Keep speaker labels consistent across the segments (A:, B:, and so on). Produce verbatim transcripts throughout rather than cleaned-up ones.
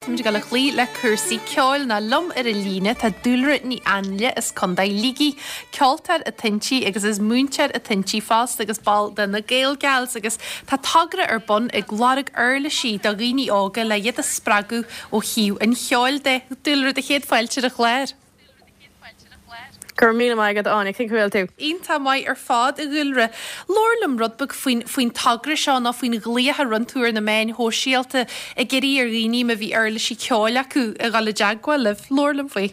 A: Táimid ag dul a chloí le cúrsaí ceoil nó liom ar an líne tá Dúlra Ní Ainle as Contae Shligigh, ceoltóir atá inti agus is múinteoir atá inti fosta agus ball de na Gaelgals agus tá togra ar bun ag lorg uirlisí do dhaoine óga le iad a spreagadh ó thaobh an cheoil de. Dúlra do chéad fáilte ar an chlár.
B: Gur mí mai go áine cén bhfuil tú.
A: Iontach maith ar fad a Dhúlra. Labhair liom rud beag faoin faoin togra seo nó faoin ghlaoch a rinne tú ar na meáin shóisialta ag iarraidh ar dhaoine má bhí uirlisí ceoil acu a dhul i dteagmháil libh. Labhair liom faoi.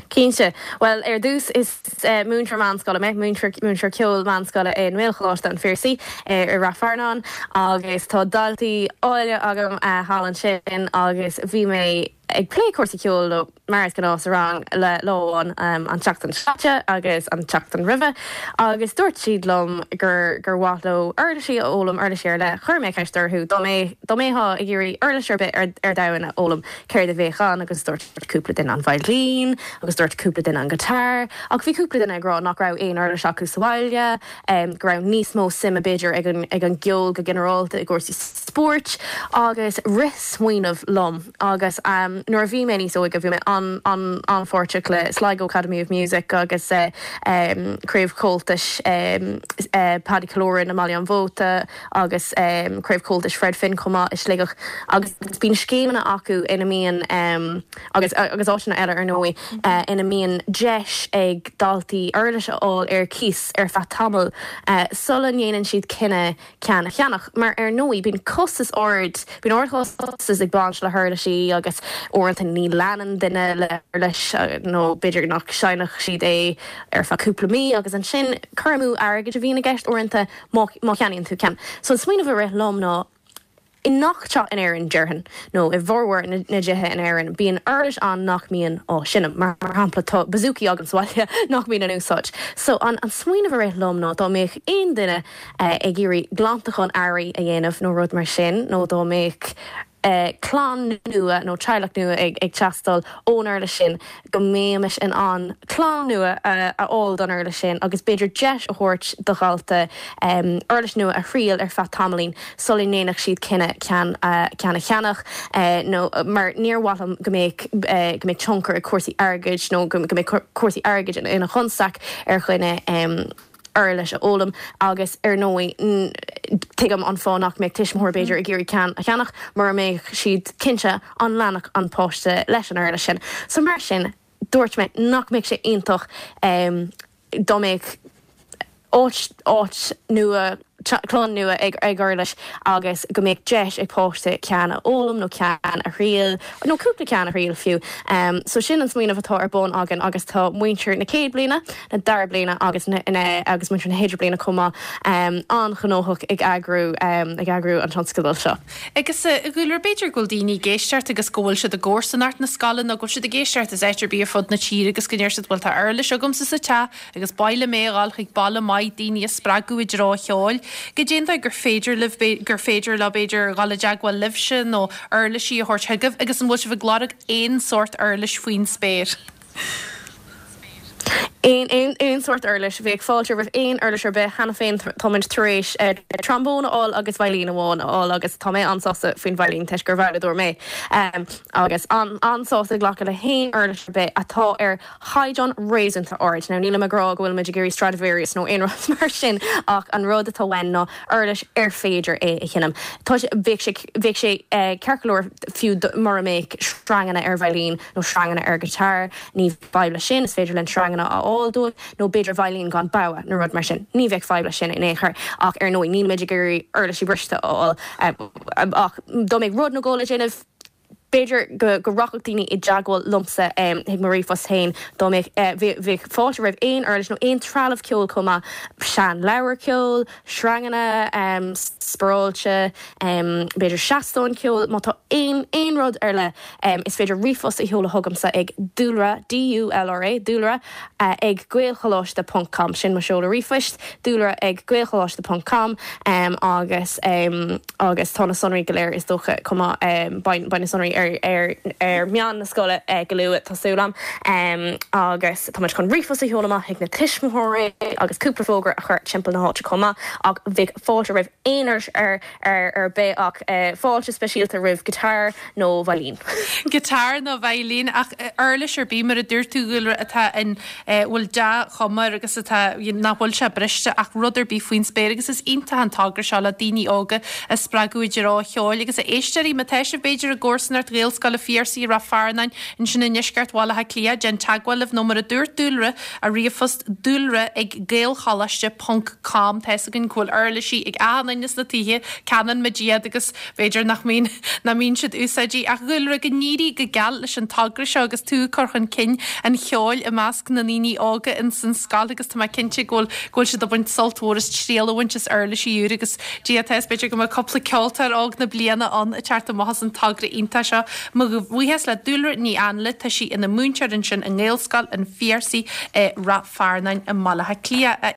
B: Cinnte. Well ar dtús is uh, múinteoir meánscoile mé múinteoir ceoil meánscoile i nGaelcholáiste an Phiarsaigh uh, i Rath Fearnáin agus tá daltaí áille agam uh, thall ansin agus bhí mé ag plé cúrsaí ceoil leo mar is gnáth sa rang le lá an um, an tseachtain seo caite agus an tseachtain roimhe agus dúirt siad liom gur gur mhaith leo uirlisí a fhoghlaim uirlisí ar leith chuir mé ceist orthu dá mé dá mbeifeá ag iarraidh uirlis ar bith ar ar domhan a fhoghlaim céard a bheadh ann agus dúirt cúpla duine an veidhlín agus dúirt cúpla duine an guitar ach bhí cúpla duine ag rá nach raibh aon uirlis acu sa bhaile um, go raibh níos mó suime b'fhéidir ag an ag an gceol go ginearálta i gcúrsaí spóirt agus rith smaoineamh liom agus um, nuair a bhí mé níos óige bhí mé an an an-pháirteach le Sligo Academy of Music agus uh, um, Craobh Comhaltais um, uh, Paddy Killoran i mBaile an Mhóta agus um, Craobh Comhaltais Fred Finn chomh maith i Sligeach agus bíonn scéimeanna acu ina mbíonn um, agus agus áiteanna eile ar ndóigh uh, ina mbíonn deis ag daltaí uirlis a fháil ar cíos ar feadh tamaill uh, sula ndéanann siad cinneadh ceann a cheannach mar ar ndóigh bíonn costas ard bíonn ardchostas ag baint le huirlisí agus uaireanta ní leanann duine le leis nó b'fhéidir nach seinnfeadh siad é ar feadh cúpla mí agus ansin cur amú airgid a bhíonn i gceist uaireanta má cheannaíonn tú ceann. So an smaoineamh a rith liom ná i ngach teach in Éirinn déarfainn nó i bhformhór na dtithe in Éirinn bíonn uirlis ann nach mbíonn á seinm mar mar shampla tá bouzouki agam sa bhaile nach mbíonn in úsáid. So an an smaoineamh a rith liom ná dá mbeadh aon duine eh, ag iarraidh glantachán earraigh a dhéanamh nó rud mar sin nó dá mbeadh eh, clann nua nó teaghlach nua ag ag teastáil ón uirlis sin go mbeimis in ann clann nua uh, a fháil don uirlis sin agus b'fhéidir deis a thabhairt do dhalta um, uirlis nua a thriail ar feadh tamaillín sula ndéanfadh siad cinneadh ceann uh, ceann a cheannach uh, nó mar níor mhaith liom go mbeadh uh, go mbeadh tionchar ag cúrsaí airgid nó go mbeadh cúrsaí airgid ina chonstaic ar dhuine um, uirlis a fhoghlaim agus ar ndóigh tuigim an fáth nach mbeadh tuismitheoir b'fhéidir ag iarraidh ceann a cheannach mar mbeadh siad cinnte an leanfadh an páiste leis an uirlis sin. So mar sin dúirt mé nach mbeadh sé iontach um, dá mbeadh áit áit nua clann nua ag ag uirlis agus go mbeadh deis ag páiste ceann a fhoghlaim nó ceann a thriail nó cúpla ceann a thriail fiú. Um, so sin an smaoineamh atá ar bun againn agus tá muintir na céad bliana na dara bliana agus na, na, agus muintir na hidirbhliana chomh maith um, an-ghnóthach ag eagrú um, ag eagrú an tionscadal seo.
A: Agus a Dhúlra b'fhéidir go bhfuil daoine ag éisteacht agus go bhfuil siad i gcomharsanacht na scoile nó go bhfuil siad ag éisteacht is áit ar bith ar fud na tíre agus go ndeir siad bhfuil tá uirlis agamsa sa teach agus ba mhaith liom é a fháil chuig baile maith daoine a spreagadh i dtreo cheoil. Cad é an dóigh gur féidir libh gur féidir leo b'fhéidir dhul i dteagmháil libhse nó uirlisí a thabhairt chugaibh agus an bhfuil sibh ag lorg aon sórt uirlis faoin spéir.
B: Aon aon aon sórt uirlis bheadh fáilte roimh aon uirlis ar bith cheana féin táimid tar éis uh, trombón a fháil agus veidhlín amháin a fháil agus tá mé an-sásta faoin veidhlín toisc gur veidhleadóir mé. Um, agus an an-sásta glacadh le haon uirlis ar bith atá ar chaighdeán réasúnta ard. Now nílim ag rá go bhfuil muid ag iarraidh Stradivarius nó aon rud mar sin ach an rud atá uainn ná uirlis ar féidir é a sheinm. Tá bheadh sé bheadh sé uh, ceart go leor fiú mura mbeadh sreanganna ar veidhlín nó sreanganna ar guitar, ní fadhb leis sin is féidir linn sreanganna a fháil dóibh nó b'fhéidir veidhlín gan bogha nó rud mar sin. Ní bheadh fadhb leis sin in aon chor ach ar ndóigh nílimid ag iarraidh uirlisí briste a fháil ach dá mbeadh rud nó dhó le déanamh b'fhéidir go go rachadh daoine i dteagmháil liomsa um, chuig mo ríomhphost féin dá mbeadh uh, bheadh fáilte roimh aon uirlis nó aon trealamh ceoil chomh maith seanleabhar ceoil, sreanganna um, spáráilte, um, b'fhéidir seastán ceoil, má tá aon aon rud ar leith um, is féidir ríomhphost a sheoladh chugamsa ag dúlra D-U-L-R-A dúlra uh, ag gaelcholáiste.com sin mo seoladh ríomhphoist dúlra ag gaelcholáiste.com um, agus um, agus tá na sonraí go léir is dócha chomh maith um, beidh na sonraí ar ar ar meán na scoile uh, go luath tá súil agam um, agus tá chun ríomhphost a sheoladh amach chuig na tuismitheoirí agus cúpla fógra a chur timpeall na háite chomh maith ach bheadh fáilte roimh aon uirlis ar ar ar bith ach uh, fáilte speisialta roimh guitar nó veidhlín.
A: Guitar nó veidhlín ach uirlis ar bith mar a dúirt tú Dúlra atá in bhfuil dea-chuma air agus atá nach bhfuil sé briste ach rud ar bith faoin spéir agus is iontach an togra seo le daoine óga a spreagadh i dtreo cheoil agus a éisteoirí má tá sibh b'fhéidir i gcomharsanacht Ghaelscoil an Phiarsaigh Ráth Fearnáin ansin i ndeisceart Bhaile Átha Cliath déan teagmháil libh nó mar a dúirt Dúlra a ríomhphost dúlra ag gaelcholáiste ponc com Tá gin bhfuil uirlisí ag achan duine sna tithe canann muid iad agus b'fhéidir nach mbíonn nach mbíonn siad úsáidte ach Dúlra go n-éirí go geal leis an togra seo agus tú ag cur chun cinn an cheoil i measc na ndaoine óga in san scoil agus tá mé cinnte go bhfuil go bhfuil siad ag baint sult mhór as triail a bhaint as uirlisí úr agus Dia tá b'fhéidir go mbeidh cúpla ceoltóir óg na bliana ann ag teacht amach as an togra iontach seo. Mo bhuíochas le Dúlra Ní Anla tá sí ina múinteoir ansin i nGaelscoil an Phiarsaigh i Ráth Fearnáin i mBaile Átha Cliath.